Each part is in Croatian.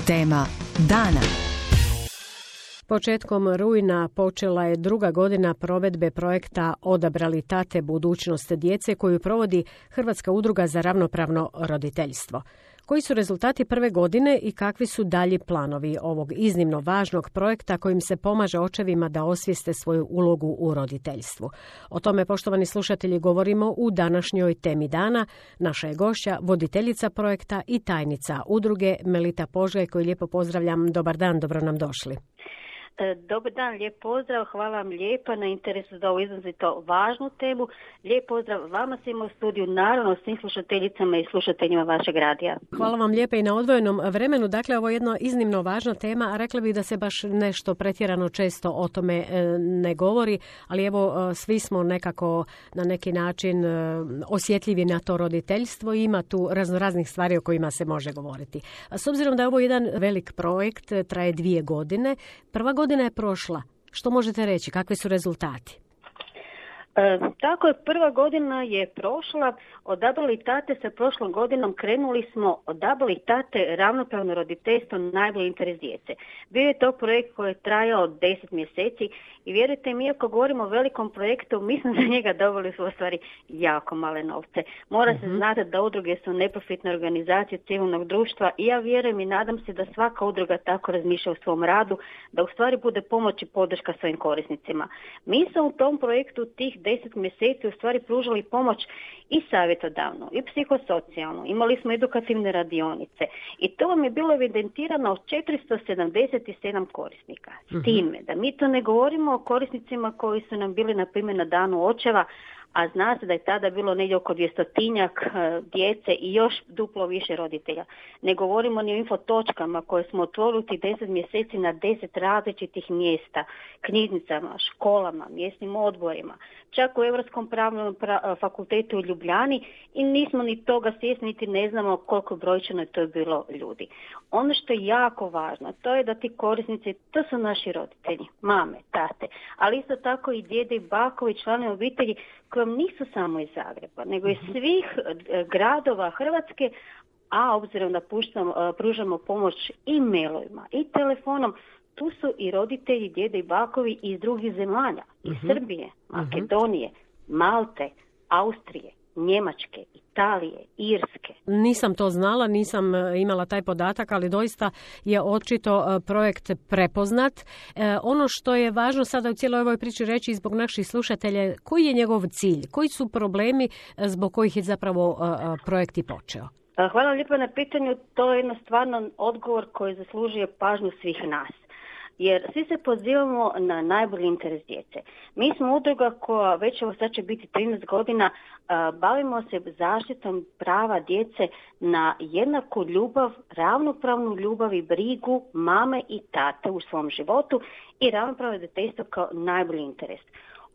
Tema dana. Početkom rujna počela je druga godina provedbe projekta Odabrali tate budućnost djece koju provodi Hrvatska udruga za ravnopravno roditeljstvo. Koji su rezultati prve godine i kakvi su dalji planovi ovog iznimno važnog projekta kojim se pomaže očevima da osvijeste svoju ulogu u roditeljstvu? O tome, poštovani slušatelji, govorimo u današnjoj Temi dana. Naša je gošća, voditeljica projekta i tajnica udruge Melita Požgaj, koju lijepo pozdravljam. Dobar dan, dobro nam došli. Dobar dan, lijep pozdrav, hvala vam lijepa na interesu za ovu izrazito važnu temu. Lijep pozdrav vama svima u studiju, naravno svim slušateljicama i slušateljima vašeg radija. Hvala vam lijepa i na odvojenom vremenu. Dakle, ovo je jedna iznimno važna tema, a rekla bih da se baš nešto pretjerano često o tome ne govori, ali evo svi smo nekako na neki način osjetljivi na to roditeljstvo i ima tu raznoraznih stvari o kojima se može govoriti. S obzirom da je ovo jedan velik projekt, traje 2 godine, prva godina je prošla. Što možete reći? Kakvi su rezultati? Tako je, prva godina je prošla. Odabrali tate sa prošlom godinom krenuli smo Odabrali tate ravnopravno roditeljstvo najbolji interes djece. Bio je to projekt koji je trajao 10 mjeseci i vjerujte mi, iako govorimo o velikom projektu, mi smo za njega dobili u stvari jako male novce. Mora se znati da udruge su neprofitne organizacije civilnog društva i ja vjerujem i nadam se da svaka udruga tako razmišlja u svom radu, da u stvari bude pomoć i podrška svojim korisnicima. Mi smo u tom projektu tih 10 mjeseci u stvari pružali pomoć i savjetodavnu i psihosocijalnu. Imali smo edukativne radionice i to vam je bilo evidentirano od 477 korisnika. S time da mi to ne govorimo o korisnicima koji su nam bili na primjer na danu očeva, a zna se da je tada bilo negdje oko 200-tinjak djece i još duplo više roditelja. Ne govorimo ni o infotočkama koje smo otvorili 10 mjeseci na 10 različitih mjesta, knjižnicama, školama, mjesnim odborima, čak u Europskom pravnom fakultetu u Ljubljani i nismo ni toga svjesni, niti ne znamo koliko brojčano je to bilo ljudi. Ono što je jako važno, to je da ti korisnici, to su naši roditelji, mame, tate, ali isto tako i djede i bakovi, članovi obitelji koji nisu samo iz Zagreba, nego iz svih gradova Hrvatske, a obzirom da pružamo pomoć i mailovima i telefonom, tu su i roditelji, djede i bakovi iz drugih zemalja, iz Srbije, Makedonije, Malte, Austrije, Njemačke, Italije, Irske. Nisam to znala, nisam imala taj podatak, ali doista je očito projekt prepoznat. Ono što je važno sada u cijeloj ovoj priči reći zbog naših slušatelja, koji je njegov cilj, koji su problemi zbog kojih je zapravo projekt i počeo? Hvala lijepo na pitanju, to je stvarno odgovor koji zaslužuje pažnju svih nas. Jer svi se pozivamo na najbolji interes djece. Mi smo udruga koja već ovo sad će biti 13 godina, bavimo se zaštitom prava djece na jednaku ljubav, ravnopravnu ljubav i brigu mame i tate u svom životu i ravnopravno roditeljstvo kao najbolji interes.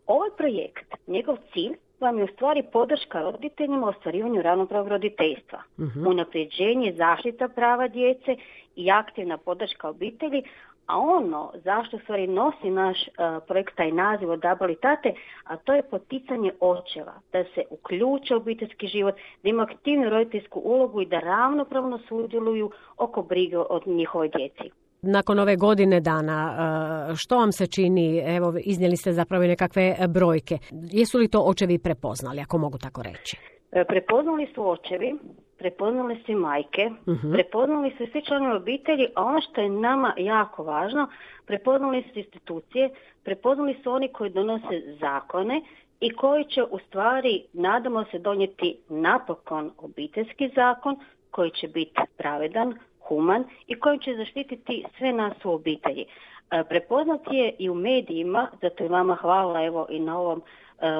Ovaj projekt, njegov cilj vam je u stvari podrška roditeljima u ostvarivanju ravnopravnog roditeljstva, unapređenje zaštita prava djece i aktivna podrška obitelji, a ono zašto stvari nosi naš projekt taj naziv Odabrali tate, a to je poticanje očeva, da se uključe u obiteljski život, da imaju aktivnu roditeljsku ulogu i da ravnopravno sudjeluju oko brige od njihove djeci. Nakon ove godine dana, što vam se čini? Evo, iznijeli ste zapravo nekakve brojke. Jesu li to očevi prepoznali, ako mogu tako reći? Prepoznali su očevi, prepoznali su majke, prepoznali su svi članovi obitelji, a ono što je nama jako važno, prepoznali su institucije, prepoznali su oni koji donose zakone i koji će u stvari, nadamo se, donijeti napokon obiteljski zakon koji će biti pravedan, human i kojim će zaštititi sve nas u obitelji. Prepoznat je i u medijima, zato je vama hvala evo i na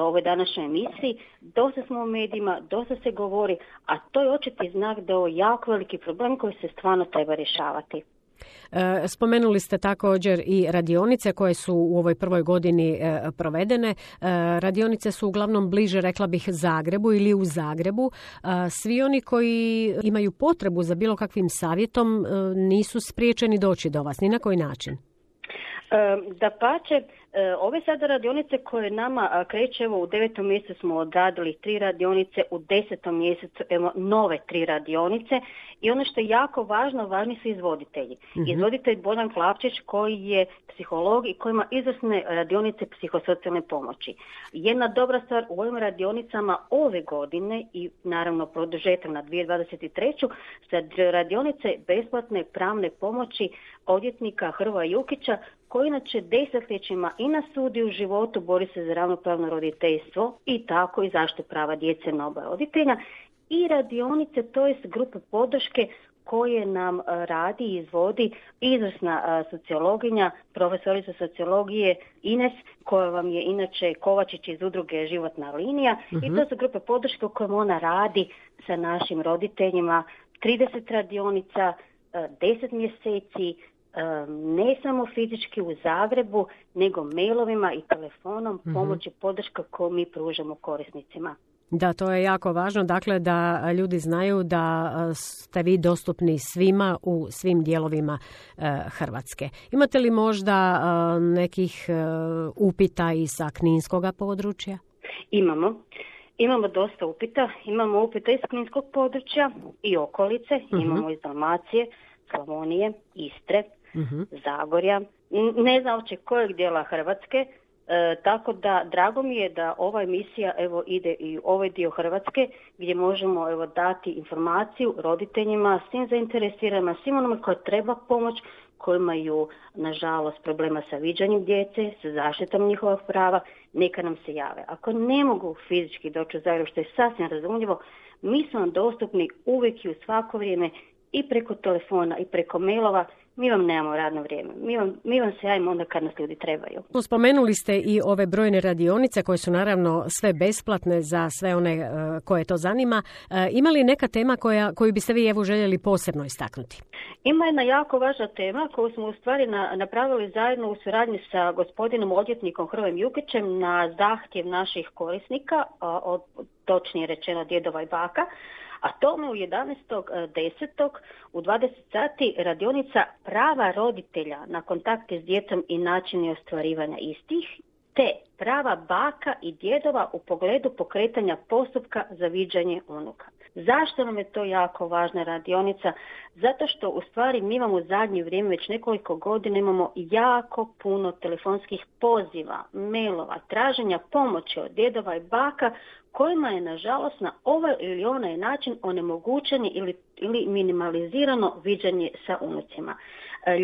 ovoj današnjoj emisiji. Dosta smo u medijima, dosta se govori, a to je očiti znak da je ovo jako veliki problem koji se stvarno treba rješavati. Spomenuli ste također i radionice koje su u ovoj prvoj godini provedene. Radionice su uglavnom bliže, rekla bih, Zagrebu ili u Zagrebu. Svi oni koji imaju potrebu za bilo kakvim savjetom nisu spriječeni doći do vas, ni na koji način. Dapače, Ove sada radionice koje nama kreće, evo u 9. mjesecu smo odradili 3 radionice, u 10. mjesecu evo nove 3 radionice i ono što je jako važno, važni su izvoditelji. Izvoditelj Bojan Klavčić koji je psiholog i koji ima izvrsne radionice psihosocijalne pomoći. Jedna dobra stvar u ovim radionicama ove godine i naravno produžetak na 2023. sa radionice besplatne pravne pomoći odvjetnika Hrvoja Jukića koji inače desetljećima i na sudu i u životu bori se za ravnopravno roditeljstvo i tako i zaštitu prava djece na oba roditelja i radionice, to jest grupe podrške koje nam radi i izvodi izvrsna sociologinja, profesorica sociologije Ines, koja vam je inače Kovačić iz udruge Životna linija i to su grupe podrške u kojima ona radi sa našim roditeljima, 30 radionica, 10 mjeseci, ne samo fizički u Zagrebu, nego mailovima i telefonom pomoć i podrška koju mi pružamo korisnicima. Da, to je jako važno, dakle da ljudi znaju da ste vi dostupni svima u svim dijelovima Hrvatske. Imate li možda nekih upita i sa kninskoga područja? Imamo dosta upita. Imamo upita iz kninskog područja i okolice. Imamo iz Dalmacije, Slavonije, Istre, Zagorja, ne znam uopće kojeg dijela Hrvatske, tako da drago mi je da ova emisija evo ide i u ovaj dio Hrvatske gdje možemo evo dati informaciju roditeljima, svim zainteresiranima, svim onima koji treba pomoć, koji imaju nažalost problema sa viđanjem djece, sa zaštitom njihovih prava, neka nam se jave. Ako ne mogu fizički doći u Zagreb, što je sasvim razumljivo, mi smo vam dostupni uvijek i u svako vrijeme i preko telefona i preko mailova. Mi vam nemamo radno vrijeme. Mi vam se javimo onda kad nas ljudi trebaju. Spomenuli ste i ove brojne radionice koje su naravno sve besplatne za sve one koje to zanima. Ima li neka tema koju biste vi evo željeli posebno istaknuti? Ima jedna jako važna tema koju smo u stvari napravili zajedno u suradnji sa gospodinom odvjetnikom Hrvojem Jukićem na zahtjev naših korisnika, točnije rečeno djedova i baka. A tome u 11.10. u 20 sati radionica prava roditelja na kontakte s djecom i načini ostvarivanja istih, te prava baka i djedova u pogledu pokretanja postupka za viđanje unuka. Zašto nam je to jako važna radionica? Zato što u stvari mi imamo u zadnje vrijeme već nekoliko godina imamo jako puno telefonskih poziva, mailova, traženja pomoći od djedova i baka kojima je nažalost na ovaj ili onaj način onemogućeni ili minimalizirano viđanje sa unucima.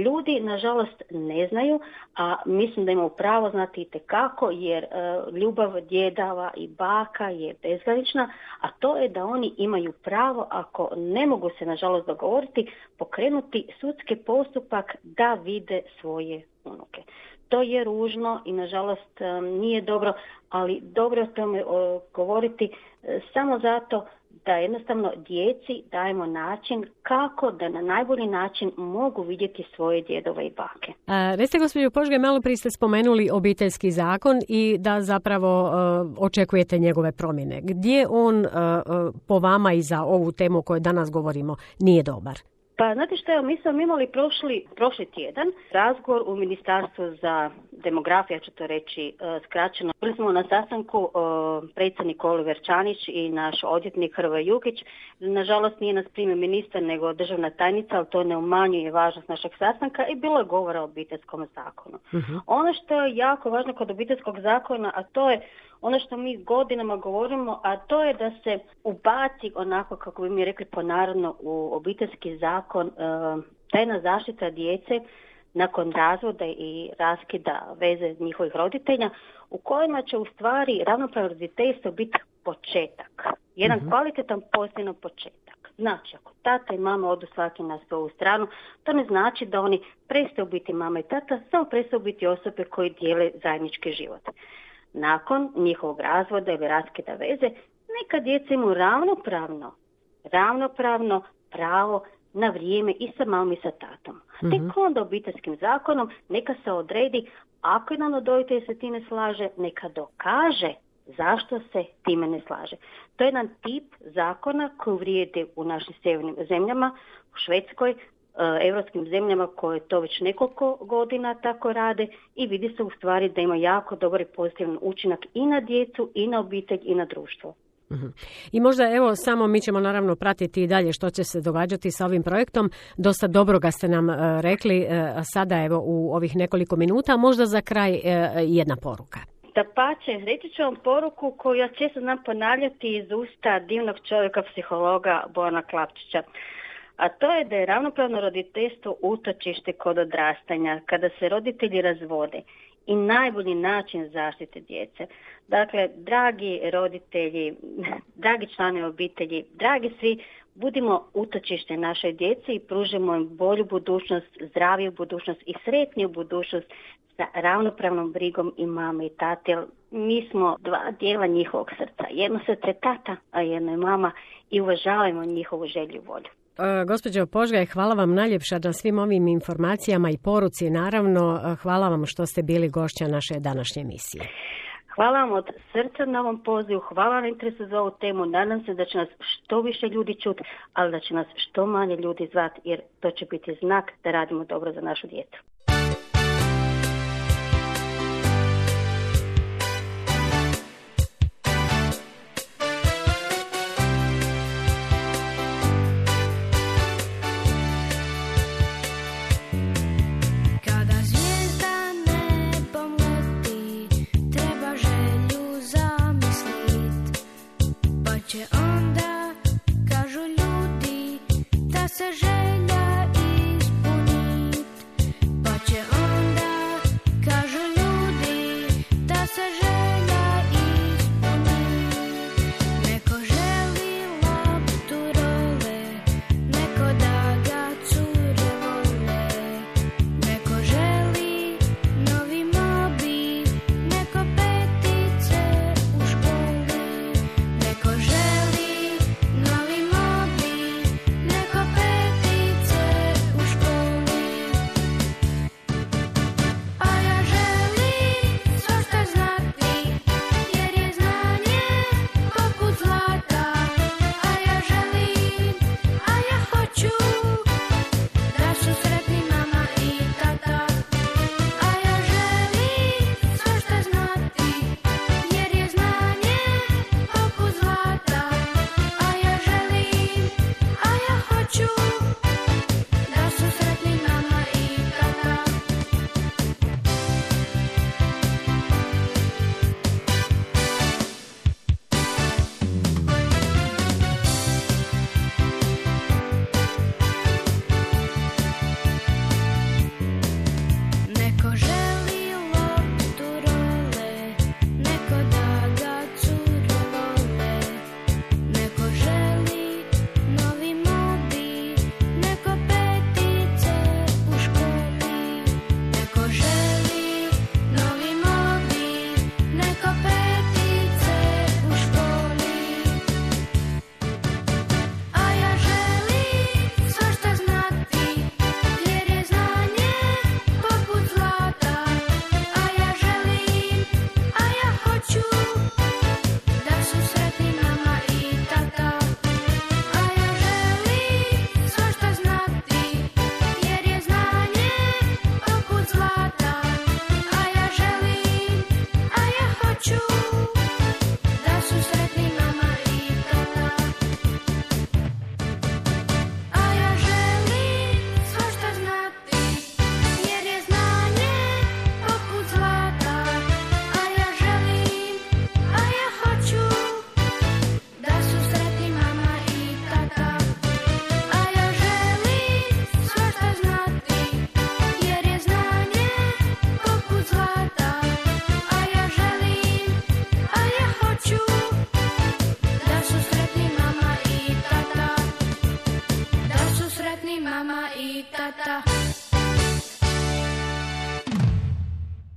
Ljudi nažalost ne znaju, a mislim da imaju pravo znati itekako jer ljubav djedova i baka je bezgranična, a to je da oni imaju pravo, ako ne mogu se nažalost dogovoriti, pokrenuti sudski postupak da vide svoje unuke. To je ružno i nažalost nije dobro, ali dobro je o tome govoriti samo zato da jednostavno djeci dajemo način kako da na najbolji način mogu vidjeti svoje djedove i bake. Recite gospođo Požge, malo prije ste spomenuli Obiteljski zakon i da zapravo očekujete njegove promjene. Gdje on po vama i za ovu temu o kojoj danas govorimo nije dobar? Pa znate što je, mi smo imali prošli tjedan razgovor u Ministarstvu za demografiju, ja ću to reći skraćeno. Bili smo na sastanku predsjednik Oliver Čanić i naš odvjetnik Hrvoje Jukić. Nažalost nije nas primio ministar nego državna tajnica, ali to ne umanjuje važnost našeg sastanka i bilo je govora o Obiteljskom zakonu. Ono što je jako važno kod Obiteljskog zakona, a to je ono što mi godinama govorimo, a to je da se ubaci onako, kako bi mi rekli ponarodno, u Obiteljski zakon tajna zaštita djece nakon razvoda i raskida veze njihovih roditelja, u kojima će u stvari ravnopravno roditeljstvo biti početak. Jedan kvalitetan pozitivan početak. Znači, ako tata i mama odu svaki na svoju stranu, to ne znači da oni prestaju biti mama i tata, samo prestaju biti osobe koji dijele zajednički život. Nakon njihovog razvoda ili raskida veze, neka djeca imaju ravnopravno pravo na vrijeme i sa mamom i sa tatom. Tek onda Obiteljskim zakonom neka se odredi, ako jedan od roditelja se time slaže, neka dokaže zašto se time ne slaže. To je jedan tip zakona koji vrijedi u našim sjevernim zemljama, u Švedskoj, europskim zemljama koje to već nekoliko godina tako rade i vidi se u stvari da ima jako dobar i pozitivan učinak i na djecu, i na obitelj, i na društvo. I možda evo samo mi ćemo naravno pratiti i dalje što će se događati sa ovim projektom. Dosta dobroga ste nam rekli sada evo u ovih nekoliko minuta. Možda za kraj jedna poruka. Dapače, reći ću vam poruku koju ja često znam ponavljati iz usta divnog čovjeka, psihologa Bojana Klapčića. A to je da je ravnopravno roditeljstvo utočište kod odrastanja, kada se roditelji razvode i najbolji način zaštite djece. Dakle, dragi roditelji, dragi članovi obitelji, dragi svi, budimo utočište našoj djeci i pružimo im bolju budućnost, zdraviju budućnost i sretniju budućnost sa ravnopravnom brigom i mame i tate. Mi smo dva dijela njihovog srca. Jedno srce je tata, a jedno je mama i uvažavajmo njihovu želju i volju. Gospođo Požgaj, hvala vam najljepša na svim ovim informacijama i poruci. Naravno, hvala vam što ste bili gošća naše današnje emisije. Hvala vam od srca na ovom pozivu, hvala vam na interesu za ovu temu. Nadam se da će nas što više ljudi čuti, ali da će nas što manje ljudi zvati, jer to će biti znak da radimo dobro za našu djecu.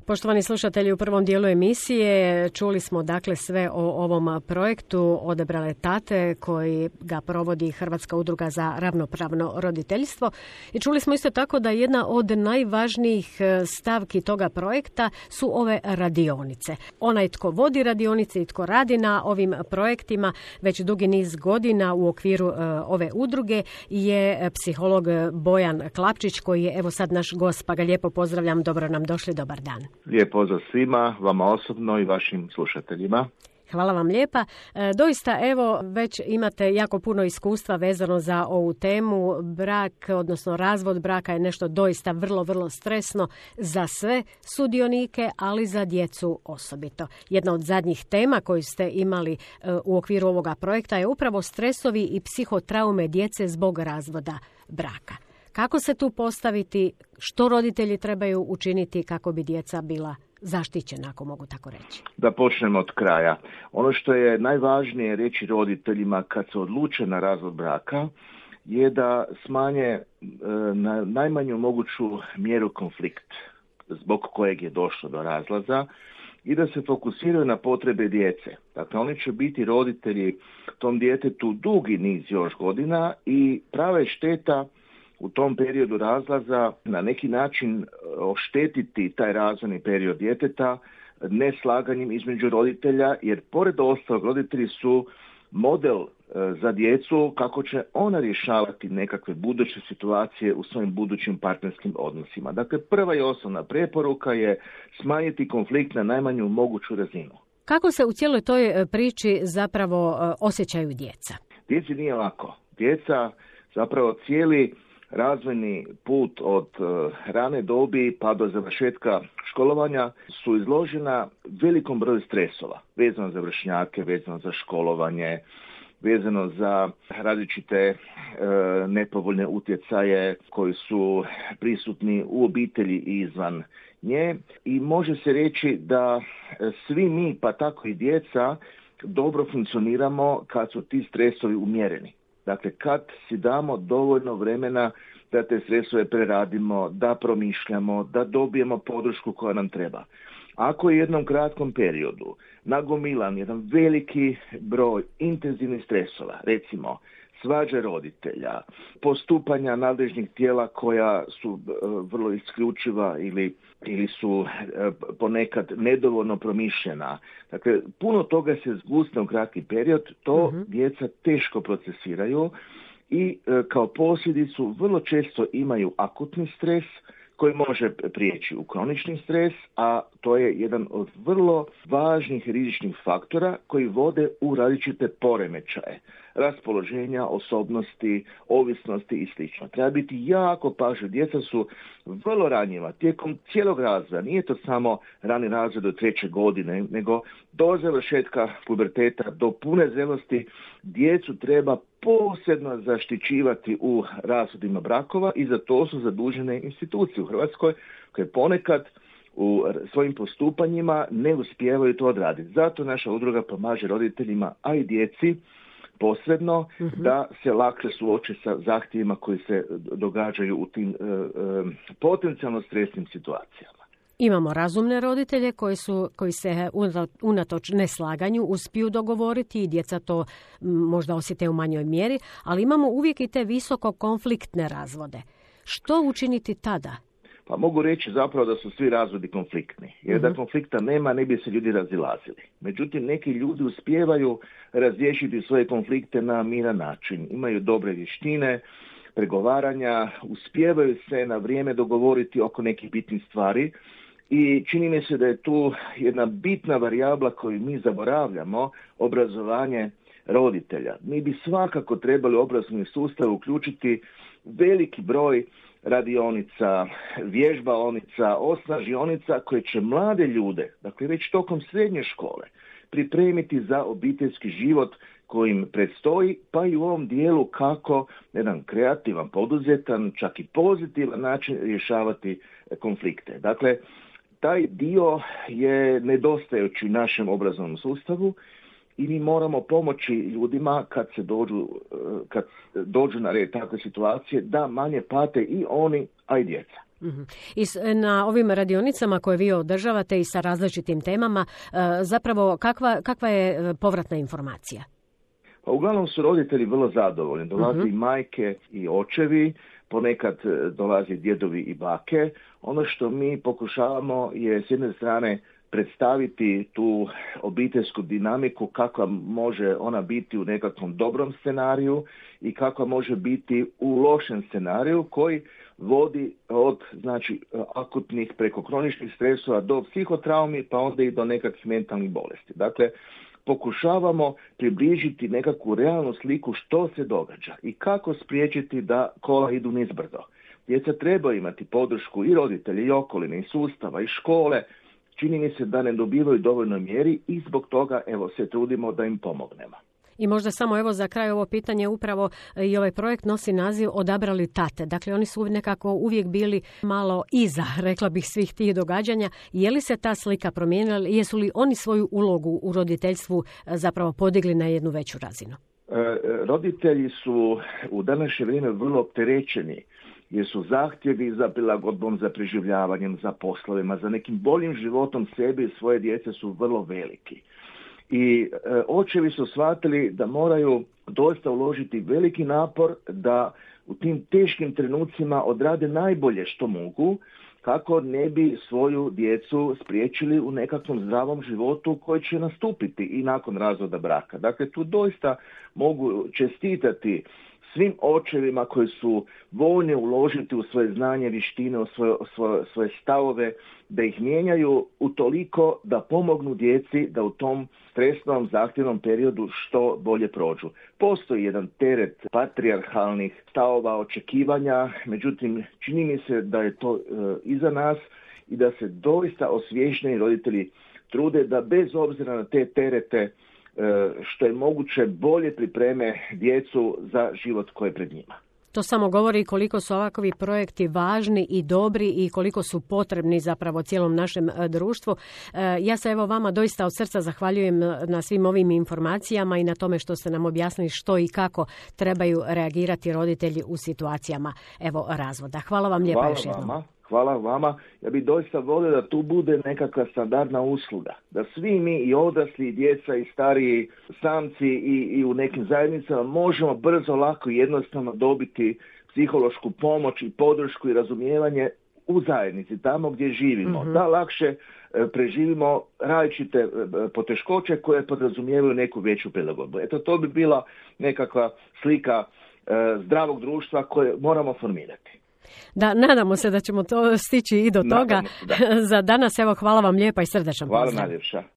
Poštovani slušatelji, u prvom dijelu emisije čuli smo dakle sve o ovom projektu Odabrale tate koji ga provodi Hrvatska udruga za ravnopravno roditeljstvo i čuli smo isto tako da jedna od najvažnijih stavki toga projekta su ove radionice. Onaj tko vodi radionice i tko radi na ovim projektima već dugi niz godina u okviru ove udruge je psiholog Bojan Klapčić koji je evo sad naš gost, pa ga lijepo pozdravljam, dobro nam došli, dobar dan. Lijep pozdrav svima, vama osobno i vašim slušateljima. Hvala vam lijepa. Doista, evo, već imate jako puno iskustva vezano za ovu temu. Brak, odnosno razvod braka je nešto doista vrlo stresno za sve sudionike, ali za djecu osobito. Jedna od zadnjih tema koju ste imali u okviru ovoga projekta je upravo stresovi i psihotraume djece zbog razvoda braka. Kako se tu postaviti, što roditelji trebaju učiniti kako bi djeca bila zaštićena, ako mogu tako reći? Da počnemo od kraja. Ono što je najvažnije reći roditeljima kad se odluče na razvod braka je da smanje na najmanju moguću mjeru konflikt zbog kojeg je došlo do razlaza i da se fokusiraju na potrebe djece. Dakle, oni će biti roditelji tom djetetu dugi niz još godina i prava je šteta u tom periodu razlaza na neki način oštetiti taj razvojni period djeteta neslaganjem između roditelja, jer pored ostalog roditelji su model za djecu kako će ona rješavati nekakve buduće situacije u svojim budućim partnerskim odnosima. Dakle, prva i osnovna preporuka je smanjiti konflikt na najmanju moguću razinu. Kako se u cijeloj toj priči zapravo osjećaju djeca? Djeci nije lako. Djeca zapravo cijeli razvojni put od rane dobi pa do završetka školovanja su izložena velikom broju stresova, vezano za vršnjake, vezano za školovanje, vezano za različite nepovoljne utjecaje koji su prisutni u obitelji i izvan nje i može se reći da svi mi, pa tako i djeca, dobro funkcioniramo kad su ti stresovi umjereni. Dakle, kad si damo dovoljno vremena da te stresove preradimo, da promišljamo, da dobijemo podršku koja nam treba. Ako je u jednom kratkom periodu nagomilan jedan veliki broj intenzivnih stresova, recimo svađe roditelja, postupanja nadležnih tijela koja su vrlo isključiva ili su ponekad nedovoljno promišljena. Dakle, puno toga se zgusne u kratki period, to djeca teško procesiraju i kao posljedicu vrlo često imaju akutni stres koji može prijeći u kronični stres, a to je jedan od vrlo važnih rizičnih faktora koji vode u različite poremećaje, raspoloženja, osobnosti, ovisnosti i sl. Treba biti jako pažljiv. Djeca su vrlo ranjiva tijekom cijelog razvoja. Nije to samo rani razvoj do 3. godine, nego do završetka puberteta, do pune zrelosti. Djecu treba posebno zaštićivati u razvodima brakova i za to su zadužene institucije u Hrvatskoj koje ponekad u svojim postupanjima ne uspijevaju to odraditi. Zato naša udruga pomaže roditeljima, a i djeci posredno da se lakše suoče sa zahtjevima koji se događaju u tim potencijalno stresnim situacijama. Imamo razumne roditelje koji se unatoč neslaganju uspiju dogovoriti i djeca to možda osjete u manjoj mjeri, ali imamo uvijek i te visoko konfliktne razvode. Što učiniti tada? Pa mogu reći zapravo da su svi razvodi konfliktni, jer da konflikta nema ne bi se ljudi razilazili. Međutim, neki ljudi uspijevaju razriješiti svoje konflikte na miran način. Imaju dobre vještine, pregovaranja, uspijevaju se na vrijeme dogovoriti oko nekih bitnih stvari i čini mi se da je tu jedna bitna varijabla koju mi zaboravljamo, obrazovanje roditelja. Mi bi svakako trebali u obrazovni sustav uključiti veliki broj radionica, vježbaonica, osnažionica koje će mlade ljude, dakle već tokom srednje škole, pripremiti za obiteljski život koji im predstoji, pa i u ovom dijelu kako jedan kreativan, poduzetan, čak i pozitivan način rješavati konflikte. Dakle, taj dio je nedostajući u našem obrazovnom sustavu i mi moramo pomoći ljudima kad dođu na red takve situacije da manje pate i oni, a i djeca. I na ovim radionicama koje vi održavate i sa različitim temama, zapravo kakva je povratna informacija? Pa uglavnom su roditelji vrlo zadovoljni. Dolazi i majke i očevi, ponekad dolazi djedovi i bake. Ono što mi pokušavamo je s jedne strane predstaviti tu obiteljsku dinamiku, kakva može ona biti u nekakvom dobrom scenariju i kakva može biti u lošem scenariju koji vodi od akutnih preko kroničnih stresova do psihotraumi pa onda i do nekakvih mentalnih bolesti. Dakle, pokušavamo približiti nekakvu realnu sliku što se događa i kako spriječiti da kola idu nizbrdo. Djeca treba imati podršku i roditelja i okoline i sustava i škole. Čini mi se da ne dobivaju dovoljno mjeri i zbog toga se trudimo da im pomognemo. I možda samo za kraj ovo pitanje, upravo i ovaj projekt nosi naziv Odabrali tate. Dakle, oni su nekako uvijek bili malo iza, rekla bih, svih tih događanja. Je li se ta slika promijenila? Jesu li oni svoju ulogu u roditeljstvu zapravo podigli na jednu veću razinu? Roditelji su u današnje vrijeme vrlo opterećeni jer su zahtjevi za prilagodbom, za preživljavanjem, za poslovima, za nekim boljim životom sebi i svoje djece su vrlo veliki. I očevi su shvatili da moraju doista uložiti veliki napor da u tim teškim trenucima odrade najbolje što mogu kako ne bi svoju djecu spriječili u nekakvom zdravom životu koji će nastupiti i nakon razvoda braka. Dakle, tu doista mogu čestitati svim očevima koji su voljni uložiti u svoje znanje, vještine, u svoje stavove, da ih mijenjaju utoliko da pomognu djeci da u tom stresnom, zahtjevnom periodu što bolje prođu. Postoji jedan teret patrijarhalnih stavova, očekivanja, međutim čini mi se da je to iza nas i da se doista osviješćeni roditelji trude da bez obzira na te terete što je moguće bolje pripreme djecu za život koji je pred njima. To samo govori koliko su ovakvi projekti važni i dobri i koliko su potrebni zapravo cijelom našem društvu. Ja se vama doista od srca zahvaljujem na svim ovim informacijama i na tome što ste nam objasnili što i kako trebaju reagirati roditelji u situacijama razvoda. Hvala vam lijepa još jednom. Hvala vama. Ja bih doista volio da tu bude nekakva standardna usluga. Da svi mi i odrasli, i djeca, i stariji samci i u nekim zajednicama možemo brzo, lako i jednostavno dobiti psihološku pomoć i podršku i razumijevanje u zajednici, tamo gdje živimo. Da lakše preživimo različite poteškoće koje podrazumijevaju neku veću prilagodbu. Eto, to bi bila nekakva slika zdravog društva koje moramo formirati. Da, nadamo se da ćemo to stići i do toga. Za danas, hvala vam lijepa i srdečan pozdrav. Hvala najljepša.